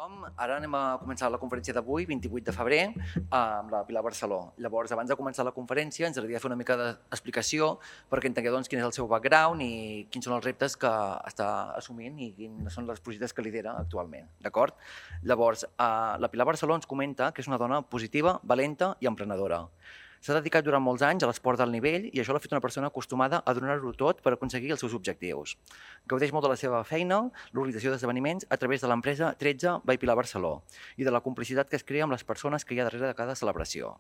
tothom. Ara anem a començar la conferència d'avui, 28 de febrer, amb la Pilar Barceló. Llavors, abans de començar la conferència, ens agradaria fer una mica d'explicació perquè entengueu quin és el seu background i quins són els reptes que està assumint i quins són els projectes que lidera actualment. D'acord? Llavors, la Pilar Barceló ens comenta que és una dona positiva, valenta i emprenedora. S'ha dedicat durant molts anys a l'esport d'alt nivell i això l'ha fet una persona acostumada a donar-ho tot per aconseguir els seus objectius. Gaudeix molt de la seva feina, l'organització d'esdeveniments a través de l'empresa 13 by Pilar Barceló i de la complicitat que es crea amb les persones que hi ha darrere de cada celebració.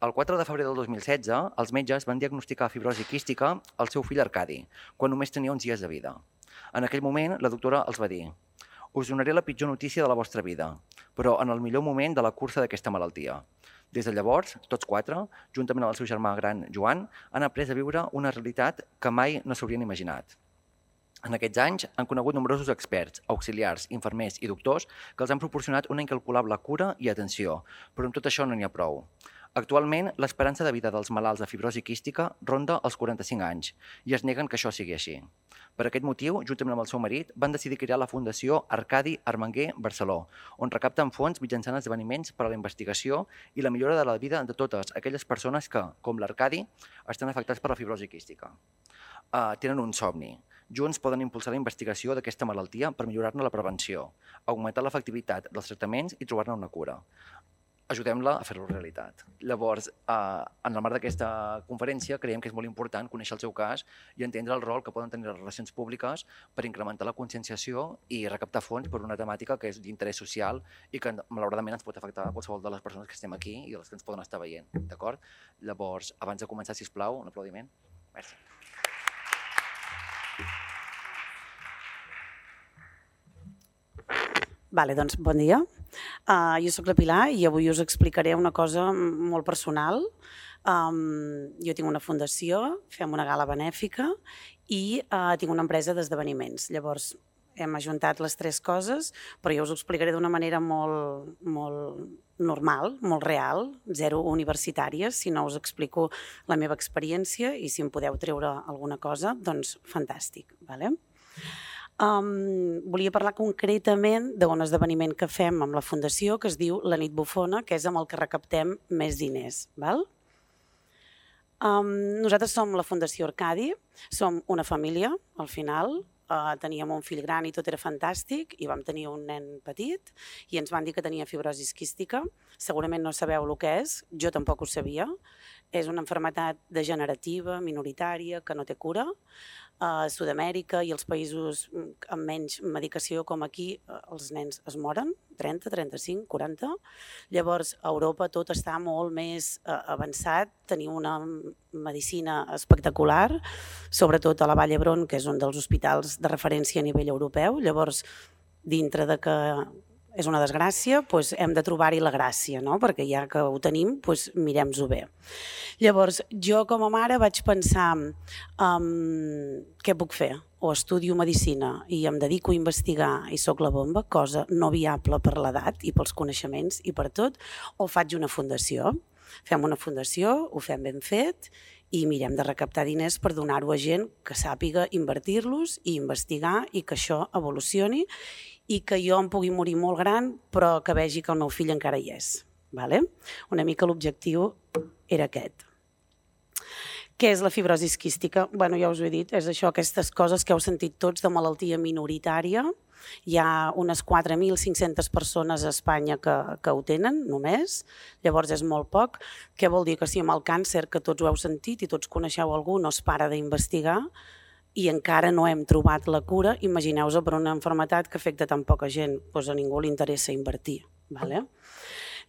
El 4 de febrer del 2016, els metges van diagnosticar fibrosi quística al seu fill Arcadi, quan només tenia uns dies de vida. En aquell moment, la doctora els va dir: us donaré la pitjor notícia de la vostra vida, però en el millor moment de la cursa d'aquesta malaltia. Des de llavors, tots quatre, juntament amb el seu germà gran Joan, han après a viure una realitat que mai no s'haurien imaginat. En aquests anys han conegut nombrosos experts, auxiliars, infermers i doctors que els han proporcionat una incalculable cura i atenció, però amb tot això no n'hi ha prou. Actualment, l'esperança de vida dels malalts de fibrosi quística ronda els 45 anys i es neguen que això sigui així. Per aquest motiu, juntament amb el seu marit, van decidir crear la Fundació Arcadi Armenguer Barceló, on recapten fons mitjançant esdeveniments per a la investigació i la millora de la vida de totes aquelles persones que, com l'Arcadi, estan afectats per la fibrosi quística. Tenen un somni. Junts poden impulsar la investigació d'aquesta malaltia per millorar-ne la prevenció, augmentar l'efectivitat dels tractaments i trobar-ne una cura. Ajudem-la a fer-lo realitat. Llavors, en el marc d'aquesta conferència, creiem que és molt important conèixer el seu cas i entendre el rol que poden tenir les relacions públiques per incrementar la conscienciació i recaptar fons per una temàtica que és d'interès social i que, malauradament, ens pot afectar a qualsevol de les persones que estem aquí i les que ens poden estar veient. D'acord? Llavors, abans de començar, sisplau, un aplaudiment. Merci. Vale, doncs bon dia. Jo soc la Pilar i avui us explicaré una cosa molt personal. Jo tinc una fundació, fem una gala benèfica i tinc una empresa d'esdeveniments. Llavors hem ajuntat les tres coses, però jo us ho explicaré d'una manera molt normal, molt real, zero universitària, si no us explico la meva experiència i si em podeu treure alguna cosa, doncs fantàstic. Volia parlar concretament d'un esdeveniment que fem amb la Fundació que es diu La Nit Bufona, que és amb el que recaptem més diners. Nosaltres som la Fundació Arcadi, som una família, al final, teníem un fill gran i tot era fantàstic i vam tenir un nen petit i ens van dir que tenia fibrosi quística. Segurament no sabeu el que és, jo tampoc ho sabia. És una malaltia degenerativa, minoritària, que no té cura. A Sud-amèrica i els països amb menys medicació com aquí, els nens es moren, 30, 35, 40. Llavors, a Europa tot està molt més avançat, tenim una medicina espectacular, sobretot a la Vall d'Hebron, que és un dels hospitals de referència a nivell europeu. Llavors, dintre de que és una desgràcia, hem de trobar-hi la gràcia, perquè ja que ho tenim, mirem-ho bé. Llavors, jo com a mare vaig pensar què puc fer? O estudio medicina i em dedico a investigar i soc la bomba, cosa no viable per l'edat i pels coneixements i per tot, o faig una fundació. Fem una fundació, ho fem ben fet i mirem de recaptar diners per donar-ho a gent que sàpiga invertir-los i investigar i que això evolucioni i que jo em pugui morir molt gran però que vegi que el meu fill encara hi és. Una mica l'objectiu era aquest. Què és la fibrosi quística? Ja us ho he dit, és això, aquestes coses que heu sentit tots de malaltia minoritària. Hi ha unes 4.500 persones a Espanya que ho tenen, només. Llavors és molt poc. Què vol dir? Que si amb el càncer, que tots ho heu sentit i tots coneixeu algú, no es para d'investigar i encara no hem trobat la cura, imagineu-vos per una malaltia que afecta tan poca gent, a ningú li interessa invertir.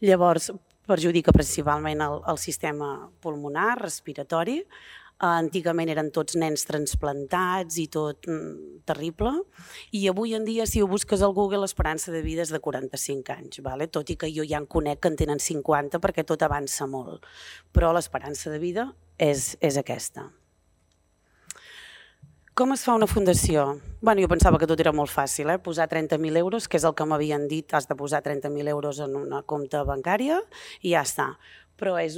Llavors, perjudica principalment el sistema pulmonar, respiratori. Antigament eren tots nens transplantats i tot terrible. I avui en dia, si ho busques al Google, l'esperança de vida és de 45 anys. Tot i que jo ja en conec que en tenen 50 perquè tot avança molt. Però l'esperança de vida és aquesta. Com es fa una fundació? Jo pensava que tot era molt fàcil, posar 30.000 euros, que és el que m'havien dit, has de posar 30.000 euros en una compte bancària i ja està. Però és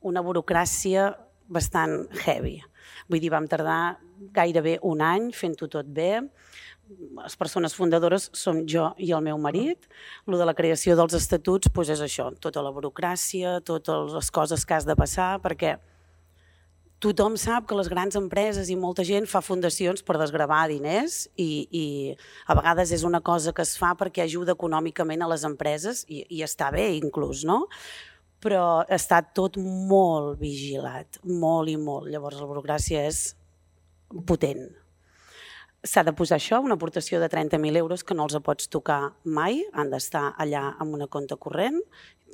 una burocràcia bastant heavy. Vull dir, vam tardar gairebé un any fent-ho tot bé, les persones fundadores som jo i el meu marit. Lo de la creació dels estatuts és això, tota la burocràcia, totes les coses que has de passar, perquè tothom sap que les grans empreses i molta gent fa fundacions per desgravar diners i a vegades és una cosa que es fa perquè ajuda econòmicament a les empreses i està bé inclús, no? Però està tot molt vigilat, molt i molt. Llavors la burocràcia és potent. S'ha de posar això, una aportació de 30.000 euros que no els pots tocar mai, han d'estar allà amb una compte corrent,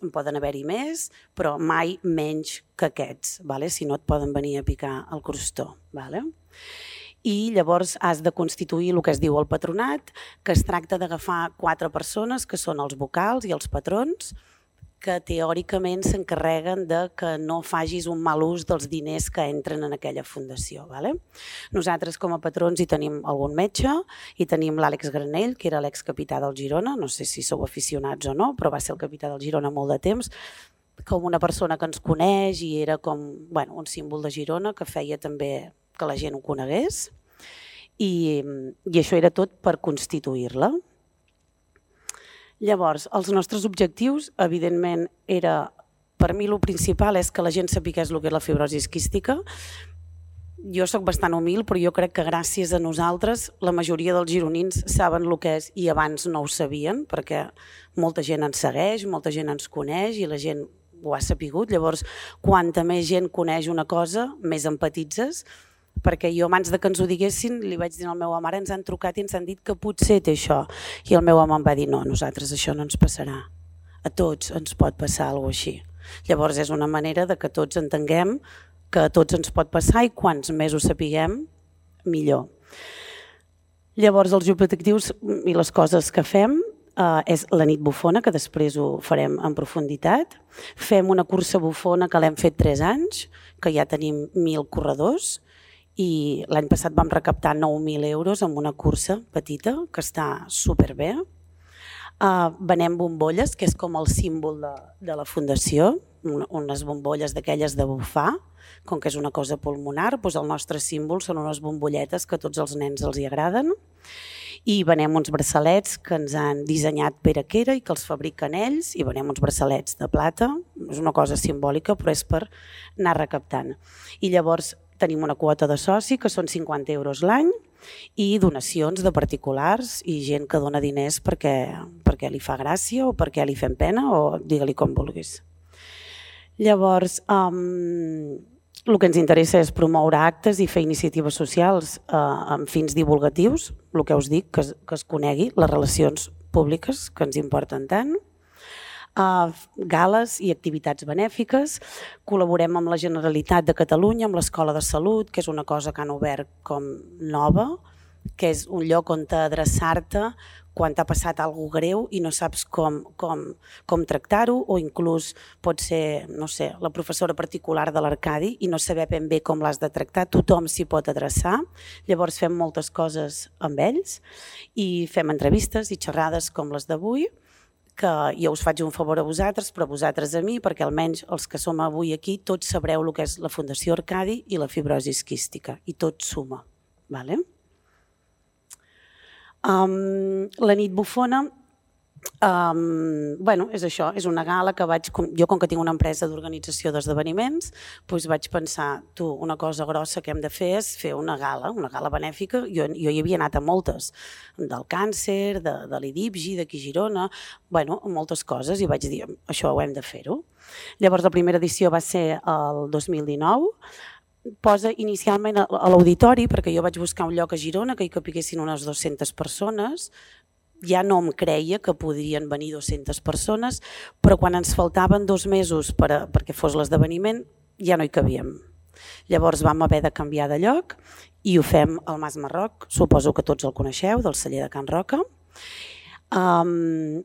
en poden haver-hi més, però mai menys que aquests, si no et poden venir a picar el crostó. I llavors has de constituir el que es diu el patronat, que es tracta d'agafar 4 persones, que són els vocals i els patrons, que teòricament s'encarreguen de que no facis un mal ús dels diners que entren en aquella fundació. Nosaltres com a patrons hi tenim algun metge, hi tenim l'Àlex Granell, que era l'excapità del Girona, no sé si sou aficionats o no, però va ser el capità del Girona molt de temps, com una persona que ens coneix i era com un símbol de Girona que feia també que la gent ho conegués i això era tot per constituir-la. Llavors, els nostres objectius, evidentment, per mi el principal és que la gent sapigués el que és la fibrosi quística. Jo soc bastant humil, però jo crec que gràcies a nosaltres la majoria dels gironins saben el que és i abans no ho sabien, perquè molta gent ens segueix, molta gent ens coneix i la gent ho ha sapigut. Llavors, quanta més gent coneix una cosa, més empatitzes, perquè jo abans que ens ho diguessin li vaig dir a la meva mare, ens han trucat i ens han dit que potser té això i el meu home em va dir no, a nosaltres això no ens passarà, a tots ens pot passar alguna cosa així. Llavors és una manera de que tots entenguem que a tots ens pot passar i quants més ho sapiguem millor. Llavors els objectius i les coses que fem és la nit bufona, que després ho farem en profunditat. Fem una cursa bufona que l'hem fet 3 anys, que ja tenim 1.000 corredors, i l'any passat vam recaptar 9.000 euros amb una cursa petita que està superbé. Venem bombolles, que és com el símbol de la fundació, unes bombolles d'aquelles de bufar, com que és una cosa pulmonar, doncs el nostre símbol són unes bombolletes que a tots els nens els hi agraden. I venem uns braçalets que ens han dissenyat Pere Quera i que els fabriquen ells, i venem uns braçalets de plata, és una cosa simbòlica però és per anar recaptant. I llavors tenim una quota de soci que són 50 euros l'any i donacions de particulars i gent que dona diners perquè li fa gràcia o perquè li fem pena o digue-li com vulguis. Llavors, el que ens interessa és promoure actes i fer iniciatives socials amb fins divulgatius, el que us dic, que es conegui les relacions públiques que ens importen tant, gales i activitats benèfiques. Col·laborem amb la Generalitat de Catalunya, amb l'Escola de Salut, que és una cosa que han obert com nova, que és un lloc on adreçar-te quan t'ha passat alguna cosa greu i no saps com tractar-ho, o inclús pot ser, no sé, la professora particular de l'Arcadi i no saber ben bé com l'has de tractar, tothom s'hi pot adreçar. Llavors fem moltes coses amb ells i fem entrevistes i xerrades com les d'avui, que jo us faig un favor a vosaltres, però vosaltres a mi, perquè almenys els que som avui aquí tots sabreu el que és la Fundació Arcadi i la fibrosi quística, i tot suma. La nit bufona, és això, és una gala que jo com que tinc una empresa d'organització d'esdeveniments, vaig pensar, una cosa grossa que hem de fer és fer una gala benèfica. Jo hi havia anat a moltes, del càncer, de l'IDIPGI, d'aquí a Girona, moltes coses, i vaig dir, això ho hem de fer-ho. Llavors la primera edició va ser el 2019, posa inicialment a l'auditori, perquè jo vaig buscar un lloc a Girona que hi capiguessin unes 200 persones, ja no em creia que podrien venir 200 persones, però quan ens faltaven 2 mesos perquè fos l'esdeveniment ja no hi cabíem. Llavors vam haver de canviar de lloc i ho fem al Mas Marroc, suposo que tots el coneixeu, del celler de Can Roca. El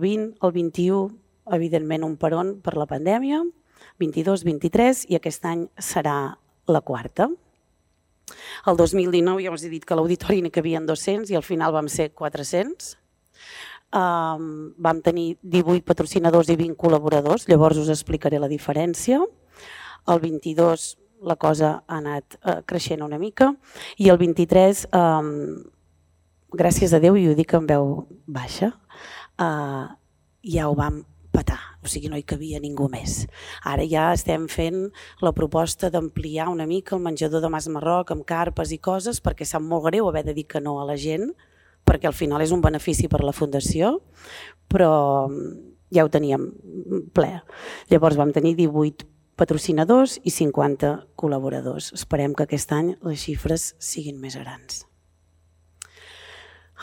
20, el 21, evidentment un peron per la pandèmia, 22, 23 i aquest any serà la 4. El 2019 ja us he dit que a l'auditori n'hi cabien 200 i al final vam ser 400. Vam tenir 18 patrocinadors i 20 col·laboradors, llavors us explicaré la diferència. El 22 la cosa ha anat creixent una mica i el 23 gràcies a Déu, i ho dic en veu baixa, ja ho vam petar, o sigui, no hi cabia ningú més. Ara ja estem fent la proposta d'ampliar una mica el menjador de Mas Marroc amb carpes i coses, perquè sap molt greu haver de dir que no a la gent, perquè al final és un benefici per a la Fundació, però ja ho teníem ple. Llavors vam tenir 18 patrocinadors i 50 col·laboradors. Esperem que aquest any les xifres siguin més grans.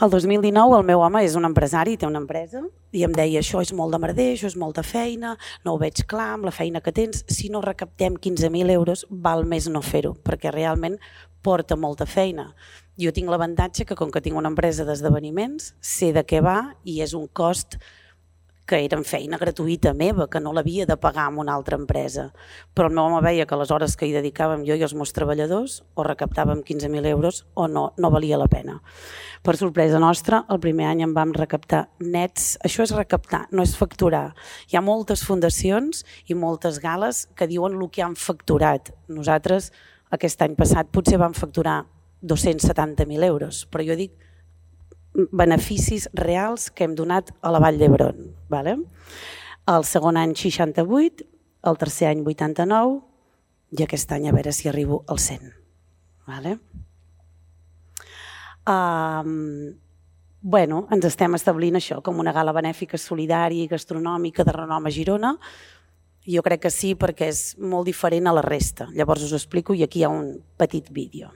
El 2019 el meu home és un empresari, té una empresa, i em deia això és molt de merder, això és molta feina, no ho veig clar amb la feina que tens, si no recaptem 15.000 euros val més no fer-ho, perquè realment porta molta feina. Jo tinc l'avantatge que com que tinc una empresa d'esdeveniments, sé de què va i és un cost que era feina gratuïta meva, que no l'havia de pagar amb una altra empresa. Però el meu home veia que les hores que hi dedicàvem jo i els meus treballadors o recaptàvem 15.000 euros o no valia la pena. Per sorpresa nostra, el primer any en vam recaptar nets. Això és recaptar, no és facturar. Hi ha moltes fundacions i moltes gales que diuen el que han facturat. Nosaltres, aquest any passat, potser vam facturar 270.000 euros, però jo dic beneficis reals que hem donat a la Vall d'Hebron. El segon any 68, el tercer any 89 i aquest any a veure si arribo al 100. Ens estem establint això com una gala benèfica solidària i gastronòmica de renom a Girona. Jo crec que sí, perquè és molt diferent a la resta. Llavors us ho explico i aquí hi ha un petit vídeo.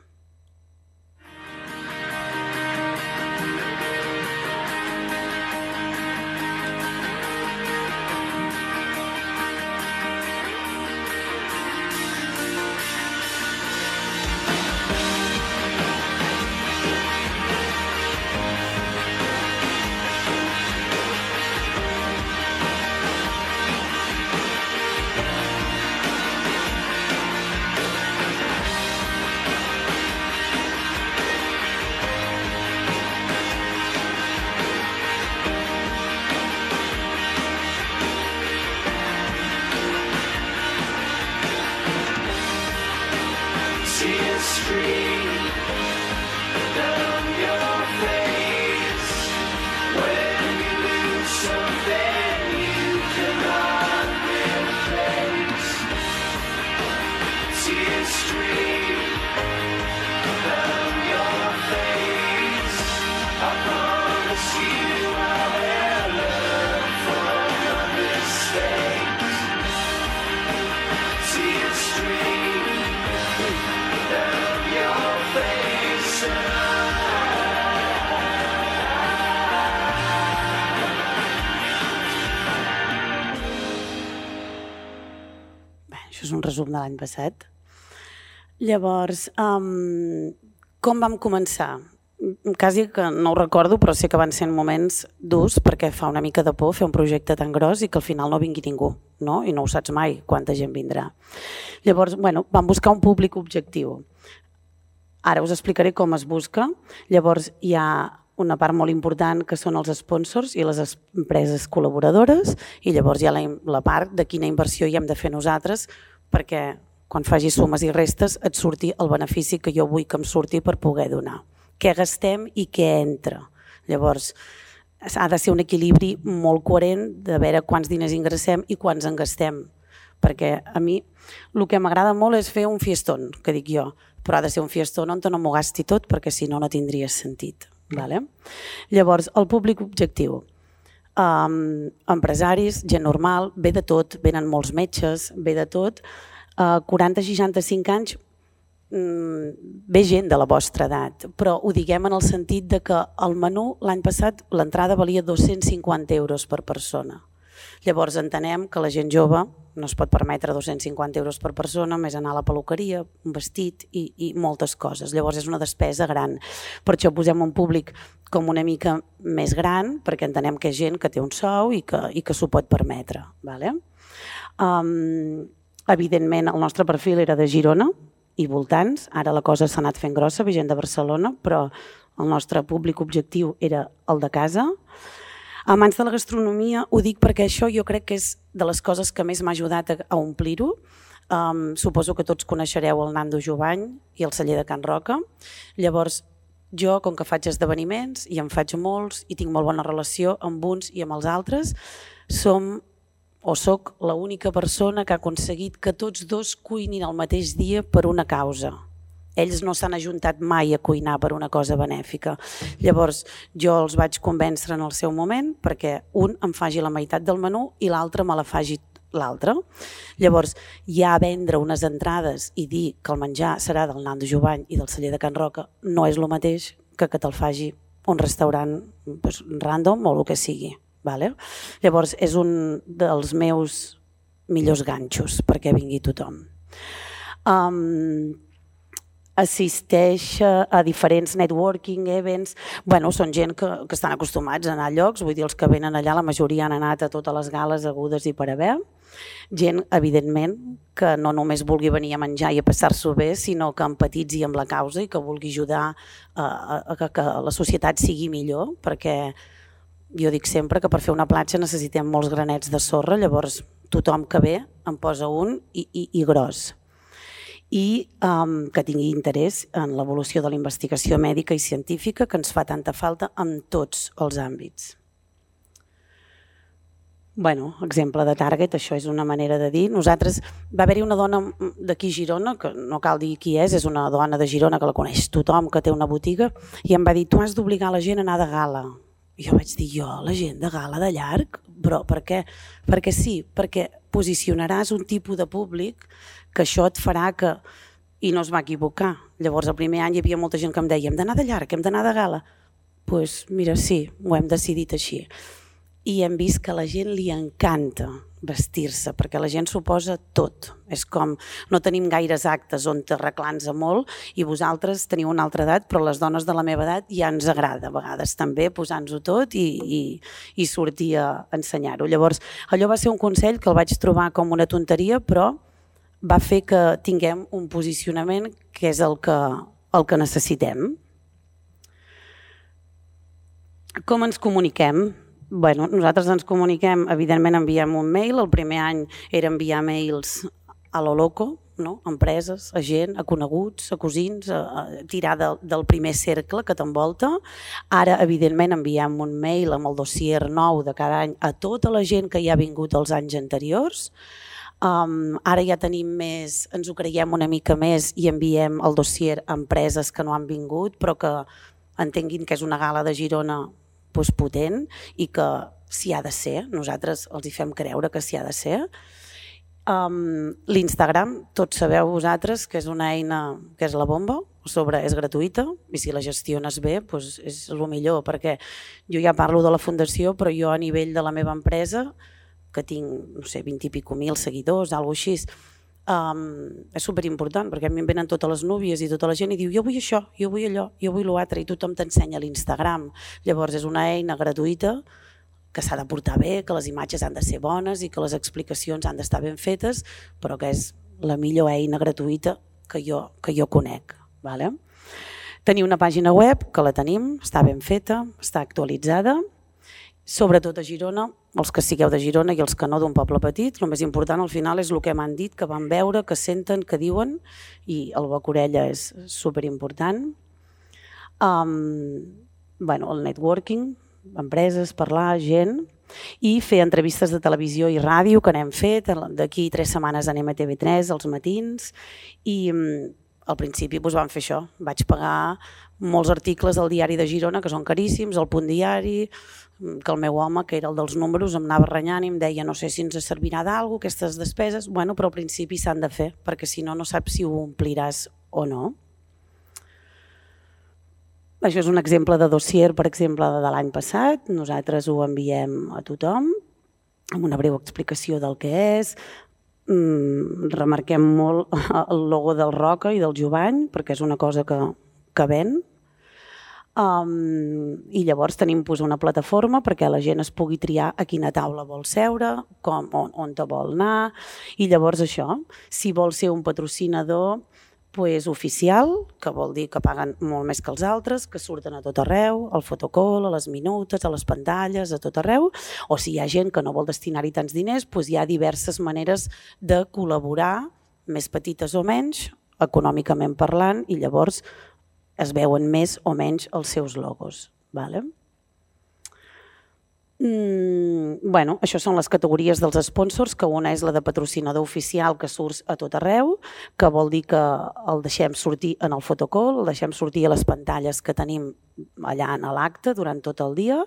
Això és un resum de l'any passat. Llavors, com vam començar? Quasi que no ho recordo, però sé que van ser moments durs perquè fa una mica de por fer un projecte tan gros i que al final no vingui ningú, no? I no ho saps mai quanta gent vindrà. Llavors, vam buscar un públic objectiu. Ara us explicaré com es busca. Llavors, hi ha una part molt important que són els sponsors i les empreses col·laboradores i llavors hi ha la part de quina inversió hi hem de fer nosaltres perquè quan facis sumes i restes et surti el benefici que jo vull que em surti per poder donar. Què gastem i què entra. Llavors, ha de ser un equilibri molt coherent de veure quants diners ingressem i quants en gastem. Perquè a mi el que m'agrada molt és fer un fiestón, que dic jo, però ha de ser un fiestón on no m'ho gasti tot perquè si no, no tindria sentit. Llavors, el públic objectiu. Empresaris, gent normal, ve de tot, venen molts metges, ve de tot. 40-65 anys ve gent de la vostra edat, però ho diguem en el sentit que el menú l'any passat l'entrada valia 250 euros per persona. Llavors entenem que la gent jove no es pot permetre 250 euros per persona, més anar a la peluqueria, un vestit i moltes coses. Llavors és una despesa gran. Per això posem un públic com una mica més gran, perquè entenem que és gent que té un sou i que s'ho pot permetre. Evidentment el nostre perfil era de Girona i voltants, ara la cosa s'ha anat fent grossa, ve gent de Barcelona, però el nostre públic objectiu era el de casa. Amants de la gastronomia, ho dic perquè això jo crec que és de les coses que més m'ha ajudat a omplir-ho. Suposo que tots coneixereu el Nando Jovany i el celler de Can Roca. Llavors, jo, com que faig esdeveniments, i en faig molts, i tinc molt bona relació amb uns i amb els altres, soc l'única persona que ha aconseguit que tots dos cuinin el mateix dia per una causa. Ells no s'han ajuntat mai a cuinar per una cosa benèfica. Llavors, jo els vaig convèncer en el seu moment perquè un em faci la meitat del menú i l'altre me la faci l'altre. Llavors, ja vendre unes entrades i dir que el menjar serà del Nando Jovany i del Celler de Can Roca no és el mateix que te'l faci un restaurant random o el que sigui. Llavors, és un dels meus millors ganxos perquè vingui tothom. Assisteix a diferents networking events. Són gent que estan acostumats a anar a llocs, vull dir, els que venen allà, la majoria han anat a totes les gales hagudes i per haver. Gent, evidentment, que no només vulgui venir a menjar i a passar-s'ho bé, sinó que empatitzi amb la causa i que vulgui ajudar a que la societat sigui millor, perquè jo dic sempre que per fer una platja necessitem molts granets de sorra, llavors tothom que ve en posa un i gros. I que tingui interès en l'evolució de la investigació mèdica i científica que ens fa tanta falta en tots els àmbits. Exemple de target, això és una manera de dir. Nosaltres, va haver-hi una dona d'aquí a Girona, que no cal dir qui és una dona de Girona que la coneix tothom, que té una botiga, i em va dir, tu has d'obligar la gent a anar de gala. I jo vaig dir, la gent de gala de llarg? Però per què? Perquè sí, perquè posicionaràs un tipus de públic que això et farà que... I no es va equivocar. Llavors, el primer any hi havia molta gent que em deia hem d'anar de llarg, hem d'anar de gala. Doncs mira, sí, ho hem decidit així. I hem vist que a la gent li encanta vestir-se, perquè la gent s'ho posa tot. És com, no tenim gaires actes on t'arreglar-nos molt i vosaltres teniu una altra edat, però les dones de la meva edat ja ens agrada a vegades també posar-nos-ho tot i sortir a ensenyar-ho. Llavors, allò va ser un consell que el vaig trobar com una tonteria, però va fer que tinguem un posicionament que és el que necessitem. Com ens comuniquem? Nosaltres ens comuniquem, evidentment enviem un mail, el primer any era enviar mails a lo loco, a empreses, a gent, a coneguts, a cosins, a tirar del primer cercle que t'envolta. Ara, evidentment, enviem un mail amb el dossier nou de cada any a tota la gent que hi ha vingut els anys anteriors. Ara ja tenim més, ens ho creiem una mica més i enviem el dossier a empreses que no han vingut, però que entenguin que és una gala de Girona potent i que s'hi ha de ser, nosaltres els hi fem creure que s'hi ha de ser. L'Instagram, tots sabeu vosaltres que és una eina que és la bomba, és gratuïta i si la gestiones bé és el millor, perquè jo ja parlo de la fundació, però jo a nivell de la meva empresa, que tinc, no sé, 20 i pico mil seguidors, alguna cosa així, és superimportant perquè a mi em venen totes les núvies i tota la gent i diu jo vull això, jo vull allò, jo vull l'altre i tothom t'ensenya l'Instagram. Llavors és una eina gratuïta que s'ha de portar bé, que les imatges han de ser bones i que les explicacions han d'estar ben fetes, però que és la millor eina gratuïta que jo conec. Tenir una pàgina web, que la tenim, està ben feta, està actualitzada, sobretot a Girona, els que sigueu de Girona i els que no d'un poble petit, el més important al final és el que m'han dit, que van veure, que senten, que diuen, i el boca-orella és superimportant. El networking, empreses, parlar, gent, i fer entrevistes de televisió i ràdio que n'hem fet, d'aquí 3 setmanes anem a TV3 als matins, i al principi vam fer això, vaig pagar molts articles al diari de Girona que són caríssims, al Punt Diari, que el meu home, que era el dels números, em anava renyant i em deia no sé si ens servirà d'alguna cosa, aquestes despeses, però al principi s'han de fer, perquè si no, no saps si ho ompliràs o no. Això és un exemple de dossier, per exemple, de l'any passat, nosaltres ho enviem a tothom, amb una breu explicació del que és, remarquem molt el logo del Roca i del Jovany, perquè és una cosa que ven, i llavors tenim una plataforma perquè la gent es pugui triar a quina taula vol seure, on te vol anar, i llavors això, si vol ser un patrocinador oficial, que vol dir que paguen molt més que els altres, que surten a tot arreu, al fotocall, a les minutes, a les pantalles, a tot arreu, o si hi ha gent que no vol destinar-hi tants diners, hi ha diverses maneres de col·laborar, més petites o menys, econòmicament parlant, i llavors es veuen més o menys els seus logos. Bueno, això són les categories dels sponsors, que una és la de patrocinador oficial, que surt a tot arreu, que vol dir que el deixem sortir en el photocall, el deixem sortir a les pantalles que tenim allà en l'acte durant tot el dia,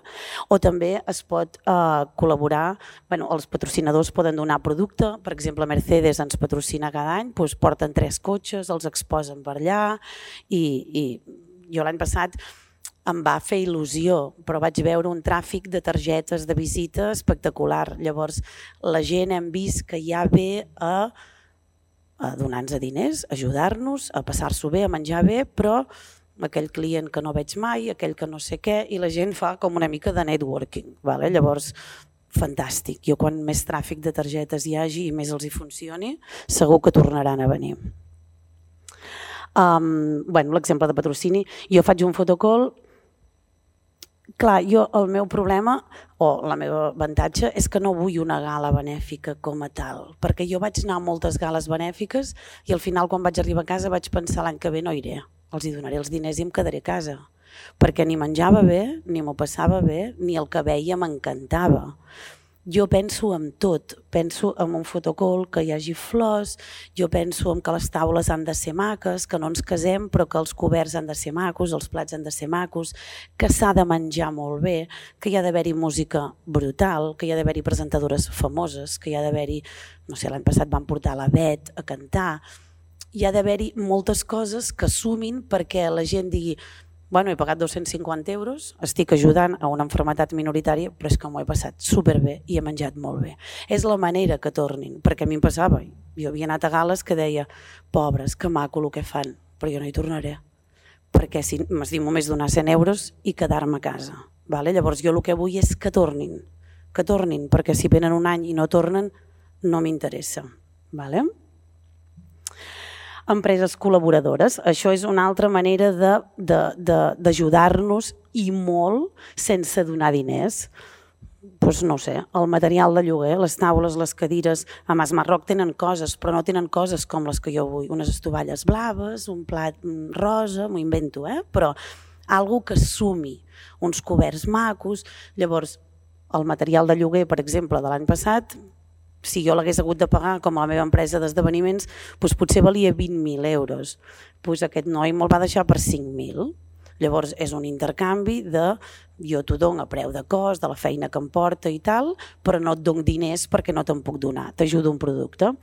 o també es pot col·laborar, els patrocinadors poden donar producte, per exemple Mercedes ens patrocina cada any, porten 3 cotxes, els exposen per allà, i jo l'any passat em va fer il·lusió, però vaig veure un tràfic de targetes de visita espectacular. Llavors, la gent hem vist que ja ve a donar-nos diners, a ajudar-nos, a passar-s'ho bé, a menjar bé, però aquell client que no veig mai, aquell que no sé què, i la gent fa com una mica de networking. Llavors, fantàstic. Jo quan més tràfic de targetes hi hagi i més els hi funcioni, segur que tornaran a venir. L'exemple de patrocini, jo faig un photocall. Clar, el meu problema o la meva avantatge és que no vull una gala benèfica com a tal, perquè jo vaig anar a moltes gales benèfiques i al final quan vaig arribar a casa vaig pensar l'any que ve no iré, els hi donaré els diners i em quedaré a casa, perquè ni menjava bé, ni m'ho passava bé, ni el que veia m'encantava. Jo penso en tot, penso en un photocall que hi hagi flors, jo penso en que les taules han de ser maques, que no ens casem però que els coberts han de ser macos, els plats han de ser macos, que s'ha de menjar molt bé, que hi ha d'haver-hi música brutal, que hi ha d'haver-hi presentadores famoses, que hi ha d'haver-hi, no sé, l'any passat van portar la Bet a cantar, hi ha d'haver-hi moltes coses que sumin perquè la gent digui he pagat 250 euros, estic ajudant a una malaltia minoritària, però és que m'ho he passat superbé i he menjat molt bé. És la manera que tornin, perquè a mi em passava, jo havia anat a gales que deia, pobres, que maco el que fan, però jo no hi tornaré, perquè si m'estimo més donar 100 euros i quedar-me a casa. Llavors jo el que vull és que tornin, perquè si venen un any i no tornen, no m'interessa. Empreses col·laboradores, això és una altra manera d'ajudar-nos i molt sense donar diners. No sé, el material de lloguer, les taules, les cadires, a Mas Marroc tenen coses, però no tenen coses com les que jo vull, unes estovalles blaves, un plat rosa, m'ho invento, però algo que sumi, uns coberts macos. Llavors, el material de lloguer, per exemple, de l'any passat, si jo l'hagués hagut de pagar com a la meva empresa d'esdeveniments, potser valia 20.000 euros. Aquest noi me'l va deixar per 5.000. Llavors és un intercanvi de jo t'ho dono a preu de cost, de la feina que em porta i tal, però no et dono diners perquè no te'n puc donar, t'ajudo un producte.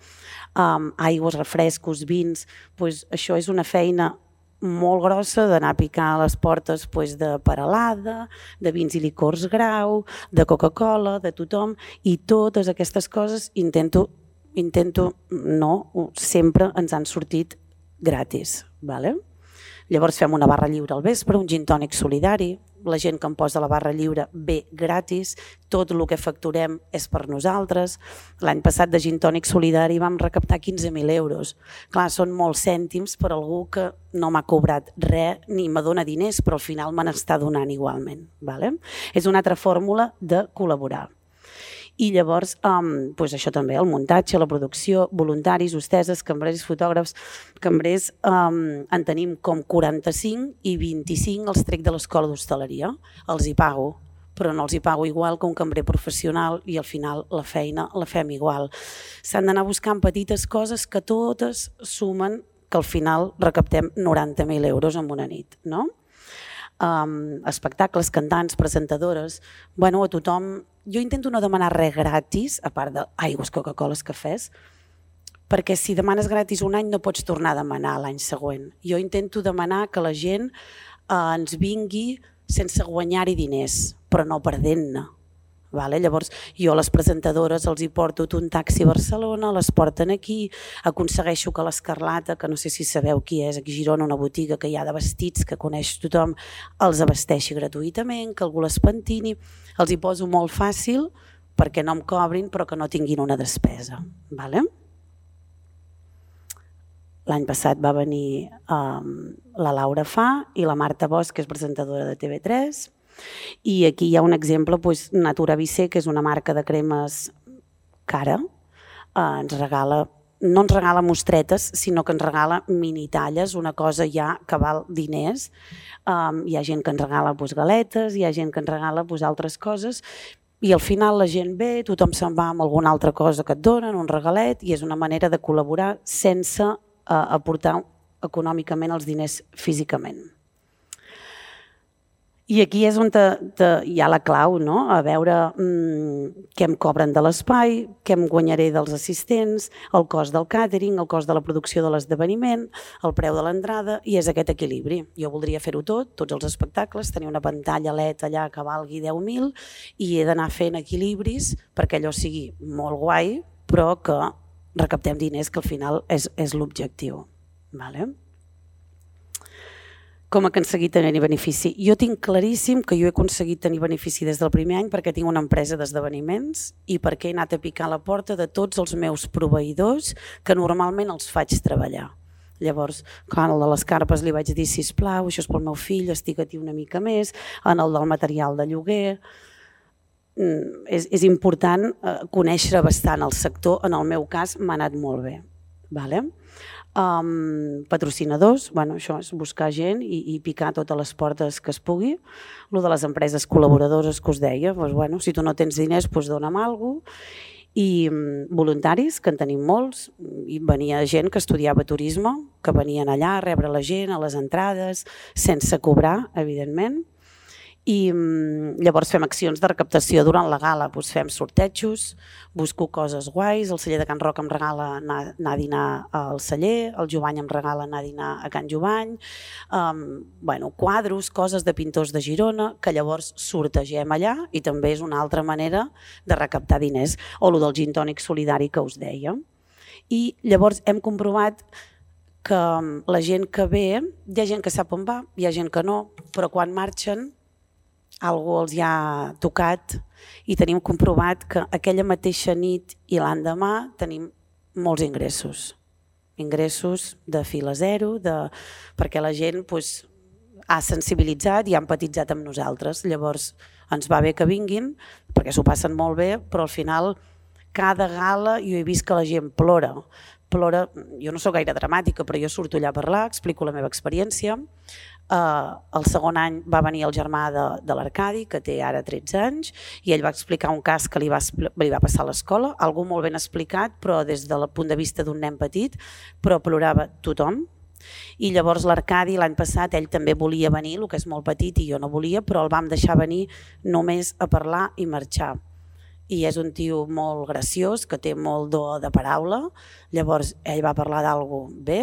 Aigües, refrescos, vins, això és una feina molt grossa d'anar a picar a les portes de Peralada, de vins i licors Grau, de Coca-Cola, de tothom, i totes aquestes coses intento no, sempre ens han sortit gratis. Llavors fem una barra lliure al vespre, un gin tònic solidari, la gent que em posa la barra lliure ve gratis, tot el que facturem és per nosaltres. L'any passat de gin tònic solidari vam recaptar 15.000 euros. Clar, són molts cèntims per algú que no m'ha cobrat res ni me dona diners, però al final me n'està donant igualment. És una altra fórmula de col·laborar. I llavors, això també, el muntatge, la producció, voluntaris, hostesses, cambrers, fotògrafs, cambrers, en tenim com 45 i 25 els trec de l'escola d'hostaleria. Els hi pago, però no els hi pago igual que un cambrer professional i al final la feina la fem igual. S'han d'anar buscant petites coses que totes sumen que al final recaptem 90.000 euros en una nit, no? Espectacles, cantants, presentadores, a tothom. Jo intento no demanar res gratis, a part d'aigües, Coca-Coles, cafès, perquè si demanes gratis un any no pots tornar a demanar l'any següent. Jo intento demanar que la gent ens vingui sense guanyar-hi diners, però no perdent-ne. Llavors jo a les presentadores els hi porto un taxi a Barcelona, les porten aquí, aconsegueixo que l'Escarlata, que no sé si sabeu qui és, aquí a Girona, una botiga que hi ha de vestits que coneix tothom, els abasteixi gratuïtament, que algú les pentini, els hi poso molt fàcil perquè no em cobrin però que no tinguin una despesa. L'any passat va venir la Laura Fa i la Marta Bosch, que és presentadora de TV3, i aquí hi ha un exemple, Natura Vicé, que és una marca de cremes cara, ens regala no ens regala mostretes, sinó que ens regala minitalles, una cosa ja que val diners. Hi ha gent que ens regala galetes, hi ha gent que ens regala altres coses, i al final la gent ve, tothom se'n va amb alguna altra cosa que et donen, un regalet, i és una manera de col·laborar sense aportar econòmicament els diners físicament. I aquí és on hi ha la clau, no? A veure què em cobren de l'espai, què em guanyaré dels assistents, el cost del càtering, el cost de la producció de l'esdeveniment, el preu de l'entrada, i és aquest equilibri. Jo voldria fer-ho tot, tots els espectacles, tenir una pantalla LED allà que valgui 10.000 i he d'anar fent equilibris perquè allò sigui molt guai, però que recaptem diners, que al final és l'objectiu. Com he aconseguit tenir benefici? Jo tinc claríssim que jo he aconseguit tenir benefici des del primer any perquè tinc una empresa d'esdeveniments i perquè he anat a picar a la porta de tots els meus proveïdors que normalment els faig treballar. Llavors, quan el de les carpes li vaig dir, sisplau, això és pel meu fill, estic aquí una mica més, en el del material de lloguer. És important conèixer bastant el sector, en el meu cas m'ha anat molt bé. Patrocinadors, això és buscar gent i picar totes les portes que es pugui. El de les empreses col·laboradores que us deia, si tu no tens diners, dona'm alguna cosa. I voluntaris, que en tenim molts, i venia gent que estudiava turisme, que venien allà a rebre la gent a les entrades, sense cobrar, evidentment. I llavors fem accions de recaptació durant la gala, fem sortejos, busco coses guais, el celler de Can Roc em regala anar a dinar al celler, el Jovany em regala anar a dinar a Can Jovany, quadros, coses de pintors de Girona, que llavors sortegem allà i també és una altra manera de recaptar diners, o el del gin tònic solidari que us deia. I llavors hem comprovat que la gent que ve, hi ha gent que sap on va, hi ha gent que no, però quan marxen algú els hi ha tocat i tenim comprovat que aquella mateixa nit i l'endemà tenim molts ingressos. Ingressos de fil a zero, perquè la gent ha sensibilitzat i ha empatitzat amb nosaltres. Llavors ens va bé que vinguin perquè s'ho passen molt bé, però al final cada gala jo he vist que la gent plora. Jo no sóc gaire dramàtica, però jo surto allà a parlar, explico la meva experiència. El segon any va venir el germà de l'Arcadi, que té ara 13 anys, i ell va explicar un cas que li va passar a l'escola, algú molt ben explicat, però des del punt de vista d'un nen petit, però plorava tothom. I llavors l'Arcadi l'any passat, ell també volia venir, el que és molt petit i jo no volia, però el vam deixar venir només a parlar i marxar. I és un tio molt graciós, que té molt do de paraula, llavors ell va parlar d'alguna bé,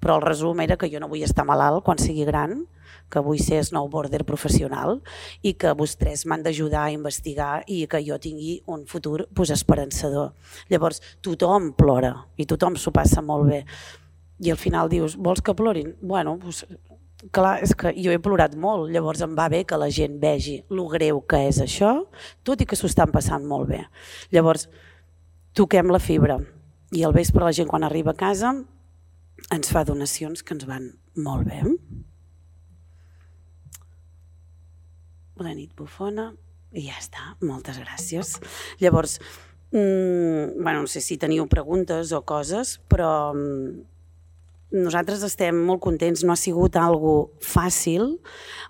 però el resum era que jo no vull estar malalt quan sigui gran, que vull ser snowboarder professional i que vostès m'han d'ajudar a investigar i que jo tingui un futur esperançador. Llavors tothom plora i tothom s'ho passa molt bé. I al final dius, vols que plorin? Clar, és que jo he plorat molt, llavors em va bé que la gent vegi lo greu que és això, tot i que s'ho estan passant molt bé. Llavors, toquem la fibra i al vespre la gent quan arriba a casa ens fa donacions que ens van molt bé. Bona nit, bufona, i ja està, moltes gràcies. Llavors, no sé si teniu preguntes o coses, però nosaltres estem molt contents, no ha sigut algo fàcil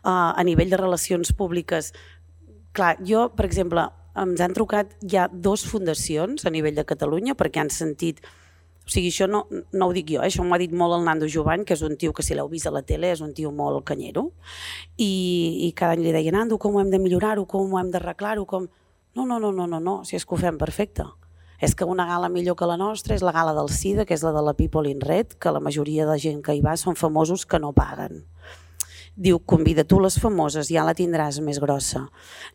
a nivell de relacions públiques. Clar, jo, per exemple, ens han trucat ja 2 fundacions a nivell de Catalunya perquè han sentit, o sigui, això no ho dic jo, això m'ho ha dit molt el Nando Jovany, que és un tio que si l'heu vist a la tele és un tio molt canyero, i cada any li deia, Nando, com ho hem de millorar-ho, com ho hem d'arreglar-ho, com... No, si és que ho fem perfecte. És que una gala millor que la nostra és la gala del SIDA, que és la de la People in Red, que la majoria de gent que hi va són famosos que no paguen. Diu, convida tu les famoses, ja la tindràs més grossa.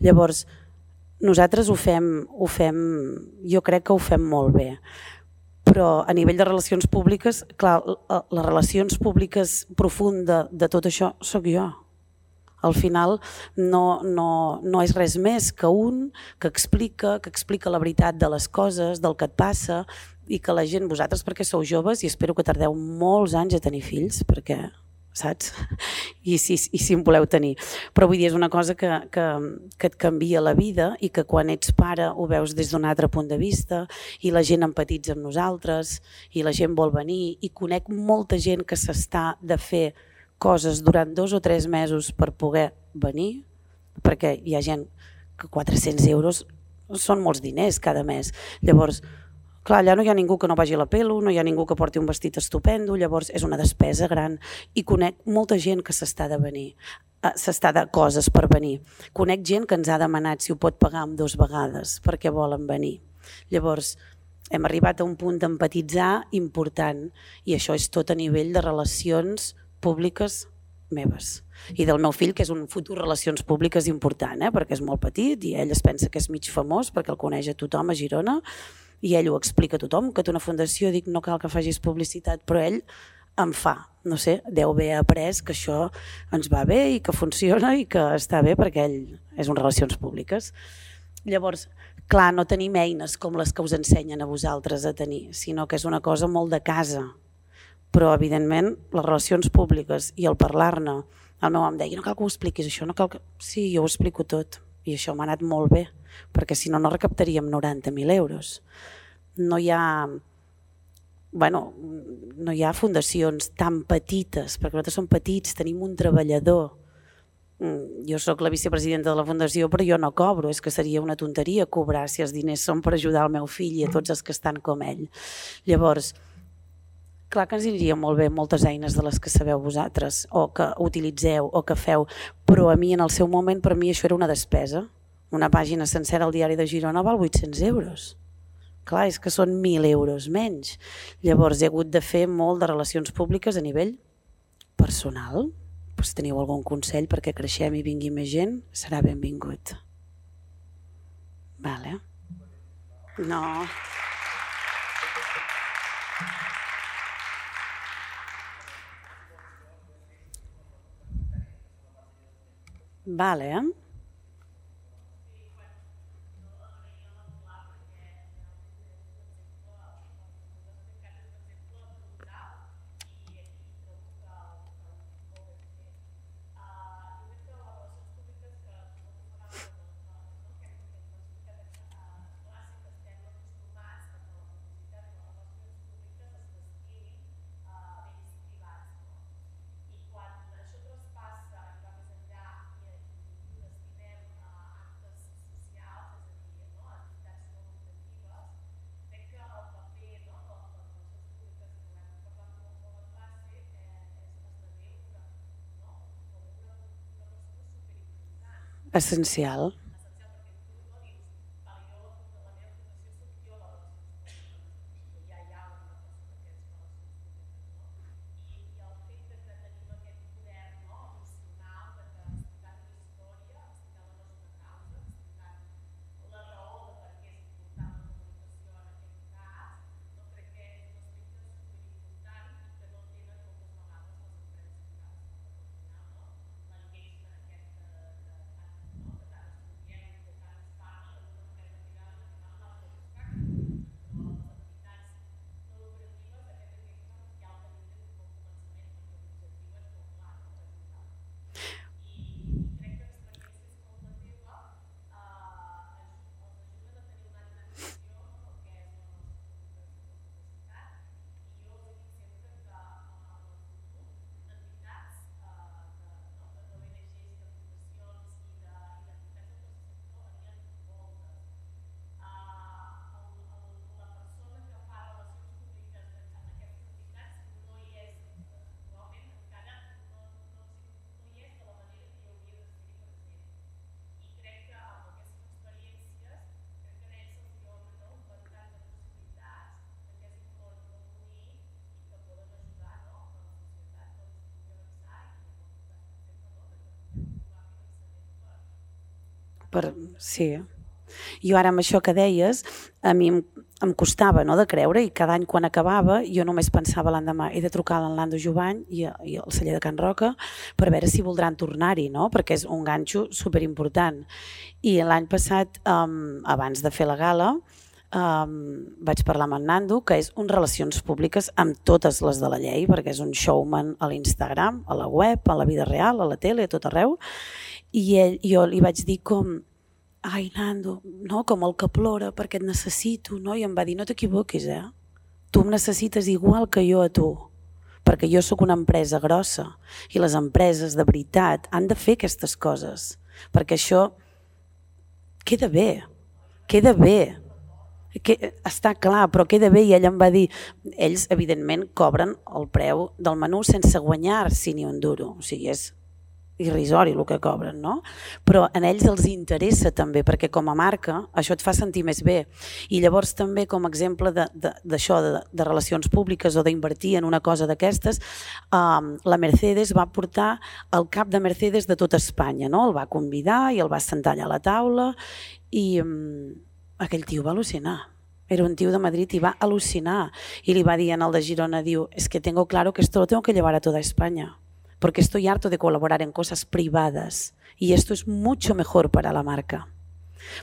Llavors, nosaltres ho fem, jo crec que ho fem molt bé. Però a nivell de relacions públiques, clar, les relacions públiques profundes de tot això sóc jo. Al final no és res més que un que explica la veritat de les coses, del que et passa, i que la gent, vosaltres perquè sou joves i espero que tardeu molts anys a tenir fills, perquè saps? I si en voleu tenir. Però vull dir, és una cosa que et canvia la vida i que quan ets pare ho veus des d'un altre punt de vista i la gent empatitza amb nosaltres i la gent vol venir i conec molta gent que s'està de fer coses durant 2 o 3 mesos per poder venir, perquè hi ha gent que 400 euros són molts diners cada mes. Llavors, clar, allà no hi ha ningú que no vagi a la pelo, no hi ha ningú que porti un vestit estupendo, llavors és una despesa gran. I conec molta gent que s'està de venir, s'està de coses per venir. Conec gent que ens ha demanat si ho pot pagar amb 2 vegades perquè volen venir. Llavors, hem arribat a un punt d'empatitzar important i això és tot a nivell de relacions públiques meves. I del meu fill, que és un futur relacions públiques important, perquè és molt petit i ell es pensa que és mig famós perquè el coneix a tothom a Girona i ell ho explica a tothom, que té una fundació, dic no cal que facis publicitat, però ell em fa, no sé, deu haver après que això ens va bé i que funciona i que està bé perquè ell és un relacions públiques. Llavors, clar, no tenim eines com les que us ensenyen a vosaltres a tenir, sinó que és una cosa molt de casa. Però, evidentment, les relacions públiques i el parlar-ne, el meu em deia, no cal que ho expliquis això, no cal que... Sí, jo ho explico tot i això m'ha anat molt bé, perquè si no, no recaptaríem 90.000 euros. No hi ha... no hi ha fundacions tan petites, perquè nosaltres som petits, tenim un treballador. Jo sóc la vicepresidenta de la fundació, però jo no cobro, és que seria una tonteria cobrar si els diners són per ajudar el meu fill i a tots els que estan com ell. Llavors, clar que ens aniria molt bé moltes eines de les que sabeu vosaltres o que utilitzeu o que feu, però a mi en el seu moment per mi això era una despesa. Una pàgina sencera al diari de Girona val 800 euros. Clar, és que són 1.000 euros menys. Llavors he hagut de fer molt de relacions públiques a nivell personal. Si teniu algun consell perquè creixem i vingui més gent, serà benvingut. Vale. No... Vale. Essencial. Sí. Jo ara amb això que deies, a mi em costava de creure i cada any quan acabava jo només pensava l'endemà he de trucar a l'Enlando Jovany i al celler de Can Roca per veure si voldran tornar-hi, perquè és un ganxo superimportant. I l'any passat, abans de fer la gala, vaig parlar amb en Nando, que és un relacions públiques amb totes les de la llei, perquè és un showman a l'Instagram, a la web, a la vida real, a la tele, a tot arreu, i jo li vaig dir com, ai Nando, no? Com el que plora perquè et necessito, no? I em va dir, no t'equivoquis, tu em necessites igual que jo a tu, perquè jo sóc una empresa grossa i les empreses de veritat han de fer aquestes coses, perquè això queda bé, està clar, però queda bé. I ell em va dir, ells evidentment cobren el preu del menú sense guanyar-s'hi ni un duro, o sigui, és irrisori el que cobren, no? Però a ells els interessa també, perquè com a marca això et fa sentir més bé. I llavors també com a exemple d'això, de relacions públiques o d'invertir en una cosa d'aquestes, la Mercedes va portar el cap de Mercedes de tota Espanya, no? El va convidar i el va sentar allà a la taula i aquell tio va al·lucinar. Era un tío de Madrid y va al·lucinar. Y le va dir al de Girona, diu, es que tengo claro que esto lo tengo que llevar a toda España, porque estoy harto de colaborar en cosas privadas y esto es mucho mejor para la marca.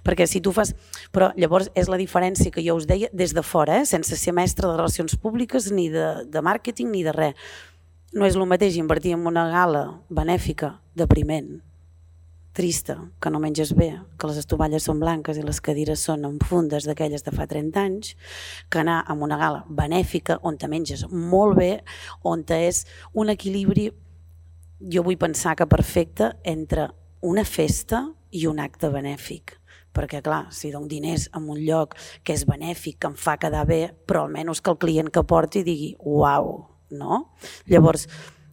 Perquè si tu fas... Però llavors és la diferència que jo us deia des de fora, sense ser mestre de relacions públiques ni de màrqueting ni de res. No és el mateix invertir en una gala benèfica depriment, trista, que no menges bé, que les estovalles són blanques i les cadires són en fundes d'aquelles de fa 30 anys, que anar a una gala benèfica on te menges molt bé, on és un equilibri, jo vull pensar que perfecte, entre una festa i un acte benèfic. Perquè clar, si dono diners en un lloc que és benèfic, que em fa quedar bé, però almenys que el client que porti digui uau, no? Llavors,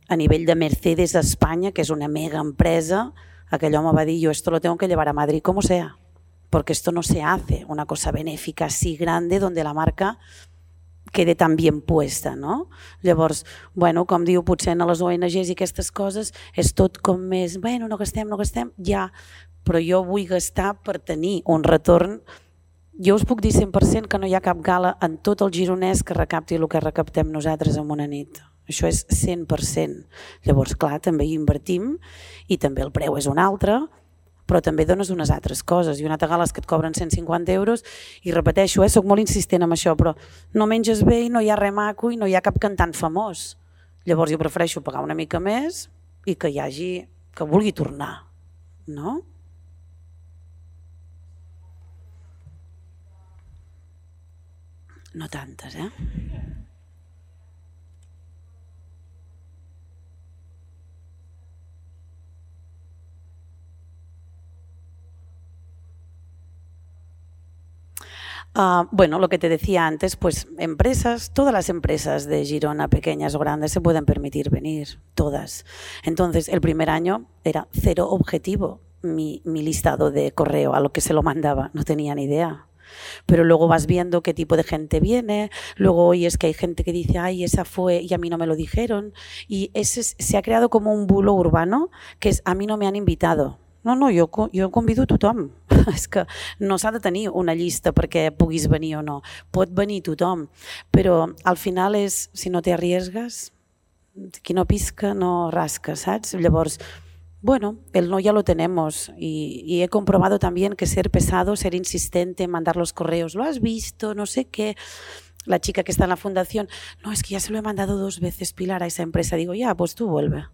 a nivell de Mercedes a Espanya, que és una mega empresa, aquell home va dir, yo esto lo tengo que llevar a Madrid como sea, porque esto no se hace, una cosa benéfica así grande donde la marca quede tan bien puesta, no? Llavors, bueno, com diu, potser en les ONGs i aquestes coses és tot com més, bueno, no gastem, ja, però jo vull gastar per tenir un retorn. Jo us puc dir 100% que no hi ha cap gala en tot el Gironès que recapti el que recaptem nosaltres en una nit. Això és 100%. Llavors, clar, també hi invertim i també el preu és un altre, però també dones unes altres coses. I una altra gala és que et cobren 150 euros i repeteixo, soc molt insistent en això, però no menges bé i no hi ha res maco i no hi ha cap cantant famós. Llavors jo prefereixo pagar una mica més i que hi hagi, que vulgui tornar, no? No tantes, Bueno, lo que te decía antes, pues empresas, todas las empresas de Girona, pequeñas o grandes, se pueden permitir venir, todas. Entonces, el primer año era 0 objetivo mi listado de correo a lo que se lo mandaba, no tenía ni idea. Pero luego vas viendo qué tipo de gente viene, luego oyes que hay gente que dice, ay, esa fue y a mí no me lo dijeron. Y se ha creado como un bulo urbano que es, a mí no me han invitado. No, jo convido a tothom. És que no s'ha de tenir una llista perquè puguis venir o no. Pot venir tothom, però al final és, si no te arriesgas, qui no pisca no rasca, saps? Llavors, bueno, el no ya lo tenemos y he comprobado también que ser pesado, ser insistente, mandar los correos, ¿lo has visto? No sé qué. La chica que está en la fundación, no, es que ya se lo he mandado 2 veces, Pilar, a esa empresa. Digo, ya, pues tú vuelve.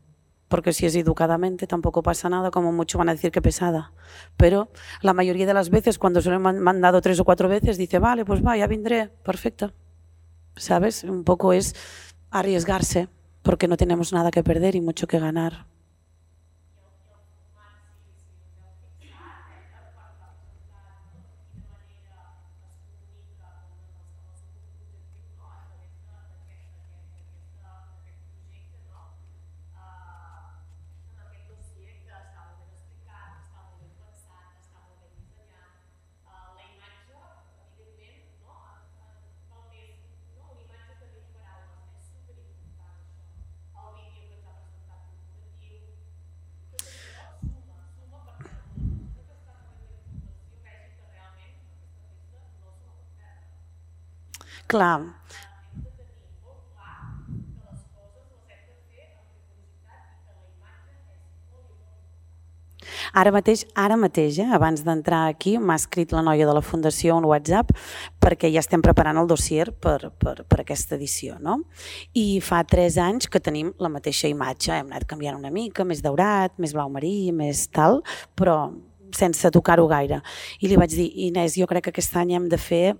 Porque si es educadamente tampoco pasa nada, como mucho van a decir que pesada. Pero la mayoría de las veces, cuando se lo he mandado 3 o 4 veces, dice, vale, pues va, ya vendré, perfecto. ¿Sabes? Un poco es arriesgarse, porque no tenemos nada que perder y mucho que ganar. Clar. Ara mateix, abans d'entrar aquí, m'ha escrit la noia de la Fundació un WhatsApp perquè ja estem preparant el dossier per aquesta edició. No? I fa 3 anys que tenim la mateixa imatge, hem anat canviant una mica, més daurat, més blau marí, més tal, però sense tocar-ho gaire. I li vaig dir, Inés, jo crec que aquest any hem de fer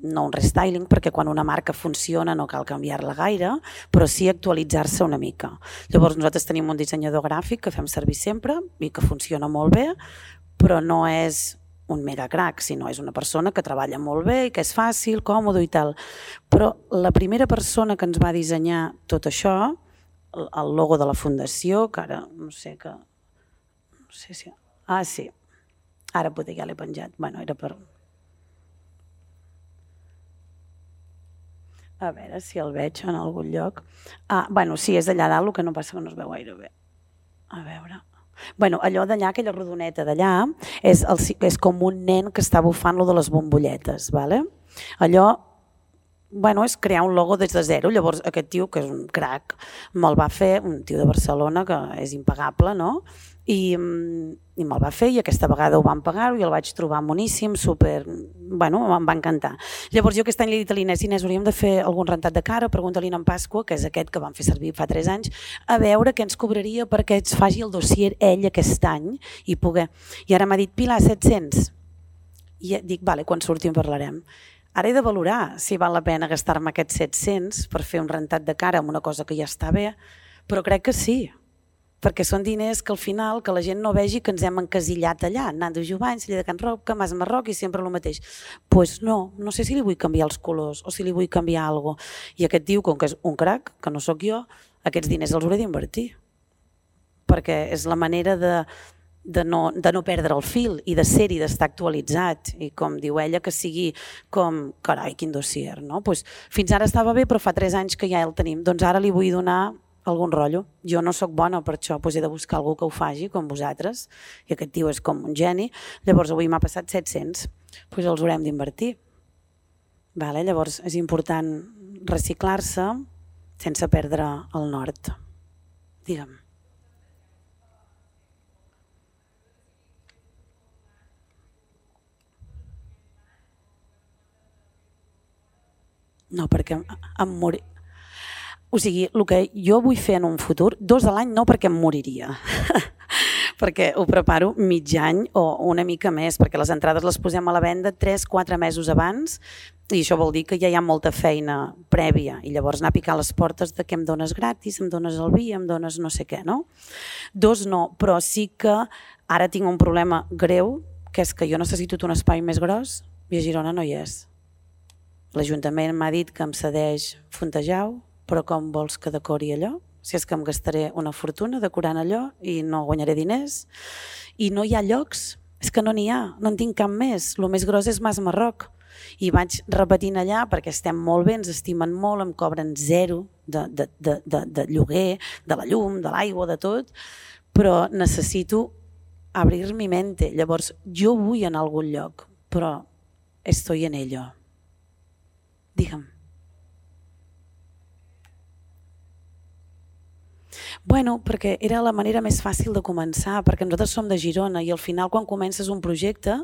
no un restyling, perquè quan una marca funciona no cal canviar-la gaire, però sí actualitzar-se una mica. Llavors nosaltres tenim un dissenyador gràfic que fem servir sempre i que funciona molt bé, però no és un mega crack, sinó és una persona que treballa molt bé i que és fàcil, còmode i tal. Però la primera persona que ens va dissenyar tot això, el logo de la fundació, que ara no sé que... No sé si... Ah, sí. Ara potser ja l'he penjat. Bueno, era per... A veure si el veig en algun lloc. Bueno, sí, és d'allà dalt, el que no passa que no es veu gaire bé. A veure... Bueno, allò d'allà, aquella rodoneta d'allà, és com un nen que està bufant lo de les bombolletes. Vale? Allò és crear un logo des de zero. Llavors aquest tio, que és un crac, me'l va fer, un tio de Barcelona que és impagable, no? I me'l va fer i aquesta vegada ho van pagar i el vaig trobar moníssim, super... Bueno, em va encantar. Llavors jo aquest any li he dit a l'Inés, hauríem de fer algun rentat de cara, pregunta-li en Pasqua, que és aquest que vam fer servir fa 3 anys, a veure què ens cobraria perquè ens faci el dossier ell aquest any i poder... I ara m'ha dit, Pilar, 700. I dic, vale, quan surti en parlarem. Ara he de valorar si val la pena gastar-me aquests 700 per fer un rentat de cara amb una cosa que ja està bé, però crec que sí, perquè són diners que al final que la gent no vegi que ens hem encasillat allà, Nando Jovany, Celler de Can Roca, Mas Marroc i sempre el mateix. Doncs no sé si li vull canviar els colors o si li vull canviar alguna cosa. I aquest tio, com que és un crac, que no sóc jo, aquests diners els hauré d'invertir, perquè és la manera de no perdre el fil i de ser-hi, d'estar actualitzat i com diu ella que sigui com, carai, quin dossier, no? Fins ara estava bé però fa 3 anys que ja el tenim, doncs ara li vull donar algun rotllo. Jo no sóc bona per això, he de buscar algú que ho faci com vosaltres i aquest tio és com un geni, llavors avui m'ha passat 700, els haurem d'invertir. Llavors és important reciclar-se sense perdre el nord. Digue'm. No, perquè em morir... O sigui, el que jo vull fer en un futur, 2 a l'any no perquè em moriria, perquè ho preparo mig any o una mica més, perquè les entrades les posem a la venda 3-4 mesos abans i això vol dir que ja hi ha molta feina prèvia i llavors anar a picar les portes de que em dones gratis, em dones el vi, em dones no sé què, no? 2 no, però sí que ara tinc un problema greu, que és que jo necessito un espai més gros i a Girona no hi és. L'Ajuntament m'ha dit que em cedeix Fontejau, però com vols que decori allò? Si és que em gastaré una fortuna decorant allò i no guanyaré diners. I no hi ha llocs, és que no n'hi ha, no en tinc cap més. El més gros és Mas Marroc. I vaig repetint allà perquè estem molt bé, ens estimen molt, em cobren 0 de lloguer, de la llum, de l'aigua, de tot, però necessito abrir mi mente. Llavors jo vull anar a algun lloc, però estoy en ello. Digue'm. Bueno, perquè era la manera més fàcil de començar, perquè nosaltres som de Girona i al final quan comences un projecte,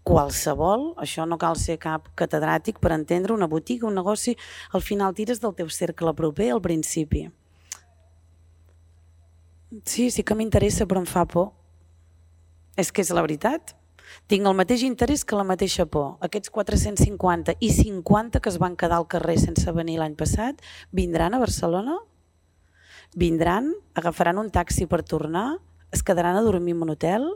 qualsevol, això no cal ser cap catedràtic per entendre, una botiga, un negoci, al final tires del teu cercle proper al principi. Sí que m'interessa però em fa por. És que és la veritat. Tinc el mateix interès que la mateixa por. Aquests 450 i 50 que es van quedar al carrer sense venir l'any passat, vindran a Barcelona? Vindran, agafaran un taxi per tornar, es quedaran a dormir en un hotel?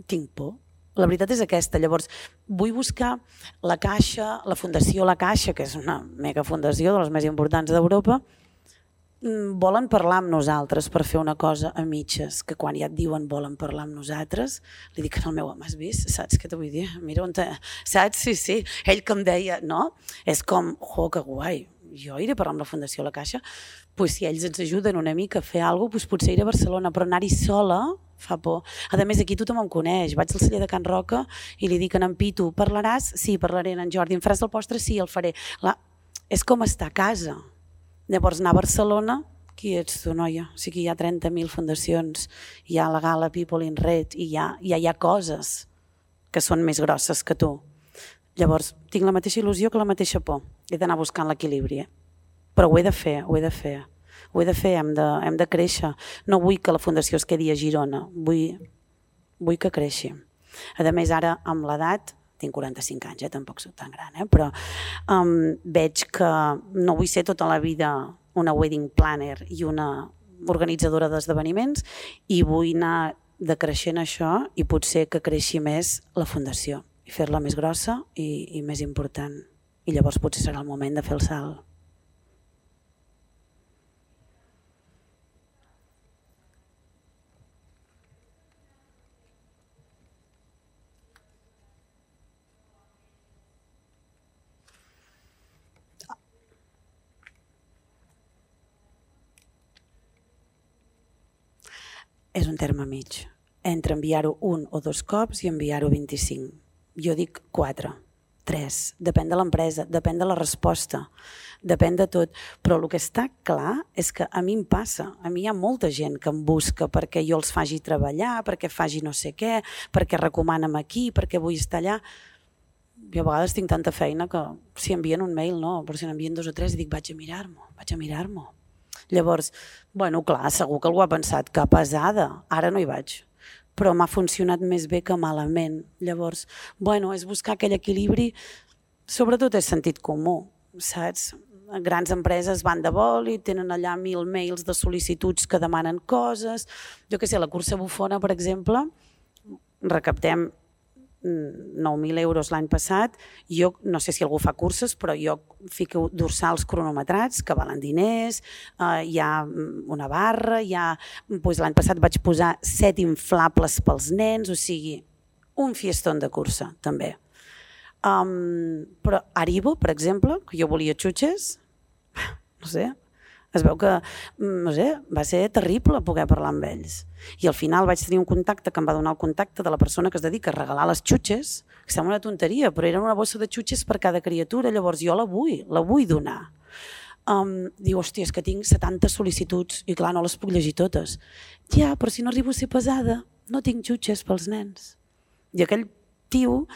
Tinc por. La veritat és aquesta. Llavors, vull buscar la Caixa, la Fundació La Caixa, que és una mega fundació de les més importants d'Europa, volen parlar amb nosaltres per fer una cosa a mitges, que quan ja et diuen volen parlar amb nosaltres, li dic al meu home, has vist? Saps què t'ho vull dir? Mira on saps? Sí. Ell que em deia, no? És com, que guai, jo iré a parlar amb la Fundació La Caixa, si ells ens ajuden una mica a fer alguna cosa, potser iré a Barcelona, però anar-hi sola fa por. A més, aquí tothom em coneix. Vaig al celler de Can Roca i li dic a en Pitu, parlaràs? Sí, parlaré. En Jordi, em faràs el postre? Sí, el faré. És com estar a casa. Llavors anar a Barcelona Qui ets tu, noia? O sigui, hi ha 30.000 fundacions, hi ha la Gala People in Red i hi ha coses que són més grosses que tu. Llavors, tinc la mateixa il·lusió que la mateixa por. He d'anar buscant l'equilibri. Però ho he de fer, hem de créixer. No vull que la fundació es quedi a Girona, vull que creixi. A més, ara, amb l'edat, tinc 45 anys, tampoc soc tan gran, però veig que no vull ser tota la vida una wedding planner i una organitzadora d'esdeveniments i vull anar decreixent això i potser que creixi més la fundació i fer-la més grossa i més important. I llavors potser serà el moment de fer el salt. És un terme mig, entre enviar-ho 1 o 2 cops i enviar-ho 25. Jo dic 4, 3, depèn de l'empresa, depèn de la resposta, depèn de tot. Però el que està clar és que a mi em passa, a mi hi ha molta gent que em busca perquè jo els faci treballar, perquè faci no sé què, perquè recomana'm aquí, perquè vull estar allà. Jo a vegades tinc tanta feina que si envien un mail no, però si n'envien 2 o 3 dic vaig a mirar-m'ho. Llavors, bueno, clar, segur que algú ha pensat que pesada, ara no hi vaig, però m'ha funcionat més bé que malament. Llavors, bueno, és buscar aquell equilibri, sobretot és sentit comú, saps? Grans empreses van de vol i tenen allà 1.000 mails de sol·licituds que demanen coses. Jo què sé, la cursa bufona, per exemple, recaptem 9.000 euros l'any passat. Jo no sé si algú fa curses, però jo fico dorsals cronometrats que valen diners, hi ha una barra, l'any passat vaig posar 7 inflables pels nens, o sigui, un fiestón de cursa també. Però Haribo, per exemple, que jo volia xutxes, no sé, es veu que va ser terrible poder parlar amb ells. I al final vaig tenir un contacte que em va donar el contacte de la persona que es dedica a regalar les xutxes, que sembla una tonteria, però era una bossa de xutxes per cada criatura, llavors jo la vull donar. Diu, hòstia, és que tinc 70 sol·licituds i clar, no les puc llegir totes. Ja, però si no arribo a ser pesada, no tinc xutxes pels nens. I aquell tio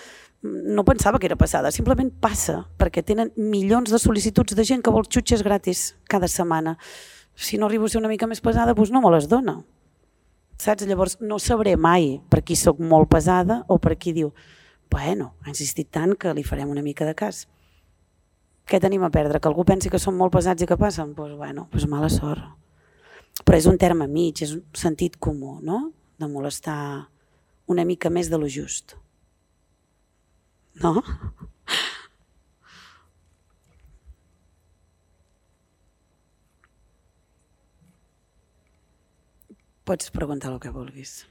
no pensava que era passada, simplement passa, perquè tenen milions de sol·licituds de gent que vol xutxes gratis cada setmana. Si no arribo a ser una mica més pesada, doncs no me les dona. Saps? Llavors no sabré mai per qui soc molt pesada o per qui diu, bueno, ha insistit tant que li farem una mica de cas. Què tenim a perdre? Que algú pensi que som molt pesats i que passen? Doncs bueno, mala sort. Però és un terme mig, és un sentit comú, no? De molestar una mica més de lo just. No? Pots preguntar el que vulguis.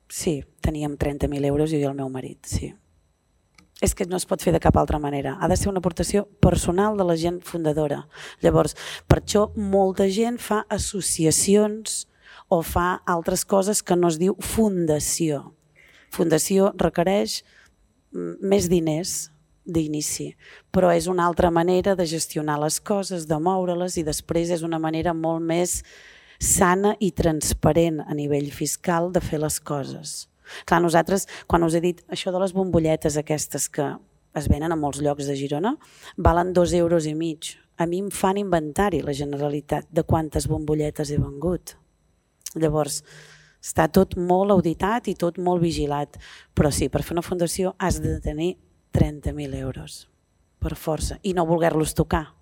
Sí, teníem 30.000 euros jo i el meu marit, sí. És que no es pot fer de cap altra manera. Ha de ser una aportació personal de la gent fundadora. Llavors, per això molta gent fa associacions o fa altres coses que no es diu fundació. Fundació requereix més diners d'inici, però és una altra manera de gestionar les coses, de moure-les, i després és una manera molt més sana i transparent a nivell fiscal de fer les coses. Clar, nosaltres, quan us he dit això de les bombolletes aquestes que es venen a molts llocs de Girona, valen 2,5 euros. A mi em fan inventari la Generalitat de quantes bombolletes he vengut. Llavors, està tot molt auditat i tot molt vigilat, però sí, per fer una fundació has de tenir 30.000 euros, per força, i no voler-los tocar.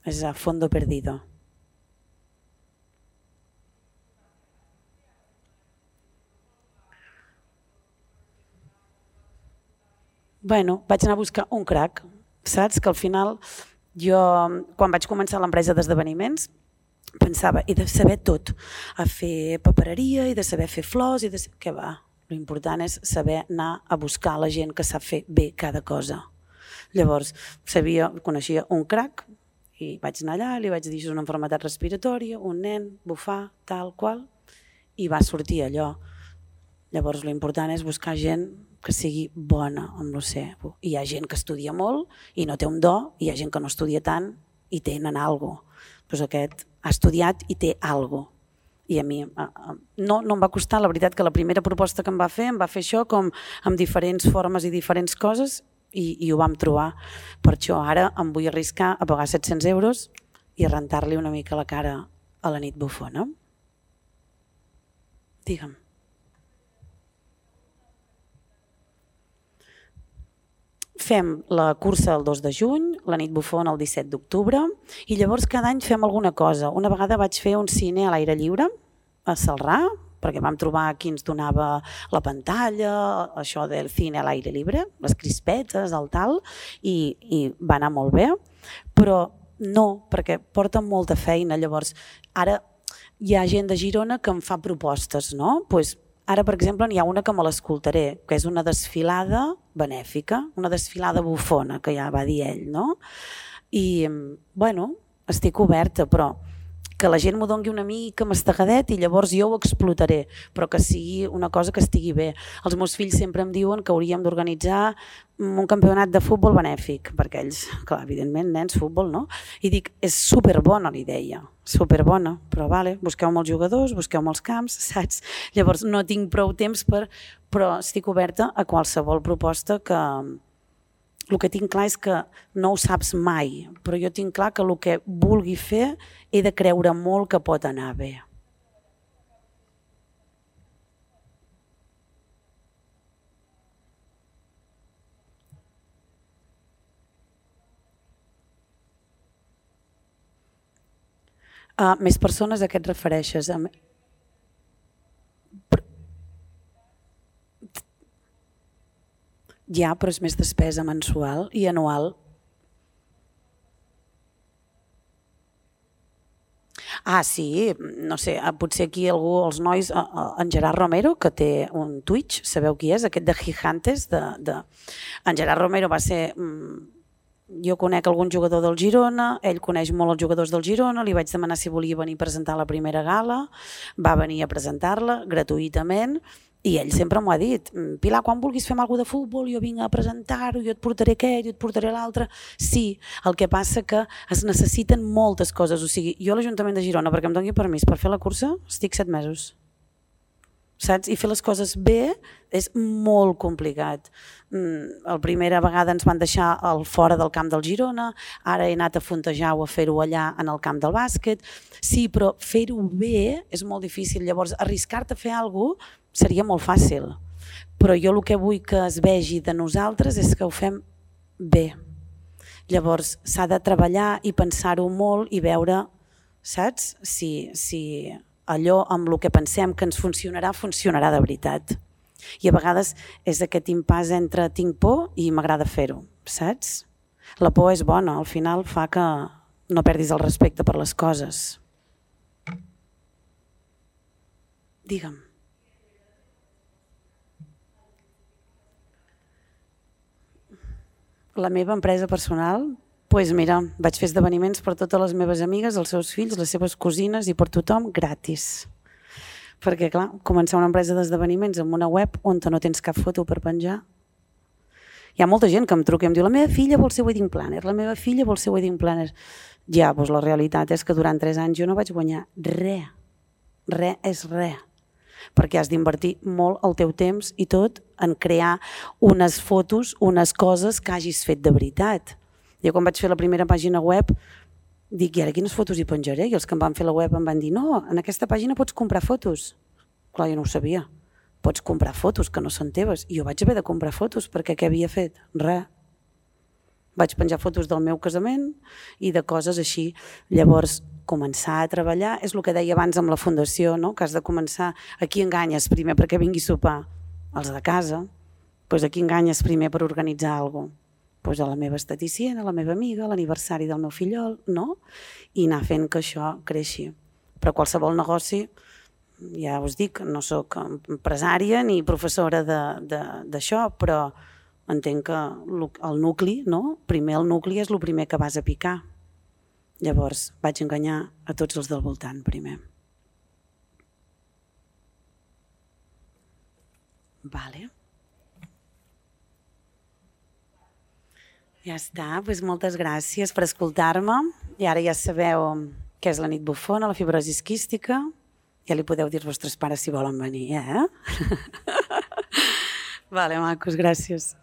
És a fondo perdido. Bueno, vaig anar a buscar un crack, saps? Que al final jo, quan vaig començar l'empresa d'esdeveniments, pensava, he de saber tot, a fer papereria, he de saber fer flors, què va? L'important és saber anar a buscar la gent que sap fer bé cada cosa. Llavors, coneixia un crack i vaig anar allà, li vaig dir, és una malaltia respiratòria, un nen, bufar, tal qual, i va sortir allò. Llavors, l'important és buscar gent que sigui bona amb l'OC. Hi ha gent que estudia molt i no té un do, i hi ha gent que no estudia tant i tenen alguna cosa. Doncs aquest ha estudiat i té alguna cosa. I a mi no em va costar, la veritat, que la primera proposta que em va fer això com amb diferents formes i diferents coses i ho vam trobar. Per això ara em vull arriscar a pagar 700 euros i rentar-li una mica la cara a la nit bufona. Digue'm. Fem la cursa el 2 de juny, la nit bufona el 17 d'octubre i llavors cada any fem alguna cosa. Una vegada vaig fer un cine a l'aire lliure a Celrà, perquè vam trobar qui ens donava la pantalla, això del cine a l'aire lliure, les crispetes, el tal, i va anar molt bé, però no, perquè porta molta feina. Llavors, ara hi ha gent de Girona que em fa propostes, no? Ara, per exemple, n'hi ha una que me l'escoltaré, que és una desfilada benèfica, una desfilada bufona, que ja va dir ell, no? I, bueno, estic oberta, però que la gent m'ho doni una mica mastegadet i llavors jo ho explotaré, però que sigui una cosa que estigui bé. Els meus fills sempre em diuen que hauríem d'organitzar un campionat de futbol benèfic, perquè ells, clar, evidentment, nens, futbol, no? I dic, és superbona la idea, superbona, però vale, busqueu-me els jugadors, busqueu-me els camps, saps? Llavors no tinc prou temps però estic oberta a qualsevol proposta que... El que tinc clar és que no ho saps mai, però jo tinc clar que el que vulgui fer he de creure molt que pot anar bé. Més persones a què et refereixes? Ja, però és més despesa mensual i anual. Sí, no sé, potser aquí algú, els nois, en Gerard Romero, que té un Twitch, sabeu qui és? Aquest de Gigantes. En Gerard Romero va ser... Jo conec algun jugador del Girona, ell coneix molt els jugadors del Girona, li vaig demanar si volia venir a presentar la primera gala, va venir a presentar-la gratuïtament. I ell sempre m'ho ha dit, Pilar, quan vulguis fer alguna cosa de futbol, jo vinc a presentar-ho, jo et portaré aquest, jo et portaré l'altre. Sí, el que passa que es necessiten moltes coses. O sigui, jo a l'Ajuntament de Girona, perquè em doni permís per fer la cursa, estic 7 mesos. Saps? I fer les coses bé és molt complicat. La primera vegada ens van deixar fora del camp del Girona, ara he anat a Fontejar o a fer-ho allà en el camp del bàsquet. Sí, però fer-ho bé és molt difícil. Llavors, arriscar-te a fer alguna cosa seria molt fàcil. Però jo el que vull que es vegi de nosaltres és que ho fem bé. Llavors, s'ha de treballar i pensar-ho molt i veure, saps? Si allò amb el que pensem que ens funcionarà, funcionarà de veritat. I a vegades és aquest impàs entre tinc por i m'agrada fer-ho, saps? La por és bona, al final fa que no perdis el respecte per les coses. Digue'm. La meva empresa personal, doncs mira, vaig fer esdeveniments per totes les meves amigues, els seus fills, les seves cosines i per tothom gratis. Perquè clar, començar una empresa d'esdeveniments amb una web on no tens cap foto per penjar. Hi ha molta gent que em truca i em diu la meva filla vol ser wedding planner, la meva filla vol ser wedding planner. Ja, doncs la realitat és que durant 3 anys jo no vaig guanyar res. Res és res. Perquè has d'invertir molt el teu temps i tot en crear unes fotos, unes coses que hagis fet de veritat. Jo quan vaig fer la primera pàgina web dic, i ara quines fotos hi penjaré? I els que em van fer la web em van dir, no, en aquesta pàgina pots comprar fotos. Clar, jo no ho sabia. Pots comprar fotos que no són teves. I jo vaig haver de comprar fotos perquè què havia fet? Res. Vaig penjar fotos del meu casament i de coses així. Llavors, començar a treballar és el que deia abans amb la fundació, no? Que has de començar, a qui enganyes primer perquè vingui a sopar? Els de casa. Doncs a qui enganyes primer per organitzar alguna cosa? Doncs a la meva esteticient, a la meva amiga, a l'aniversari del meu fillol, no? I anar fent que això creixi. Però qualsevol negoci, ja us dic, no soc empresària ni professora d'això, però entenc que el nucli, no? Primer el nucli és el primer que vas a picar. Llavors vaig enganyar a tots els del voltant primer. Vale. Ja està, doncs moltes gràcies per escoltar-me. I ara ja sabeu què és la nit bufona, la fibrosi quística. Ja li podeu dir als vostres pares si volen venir, eh? Vale, macos, gràcies.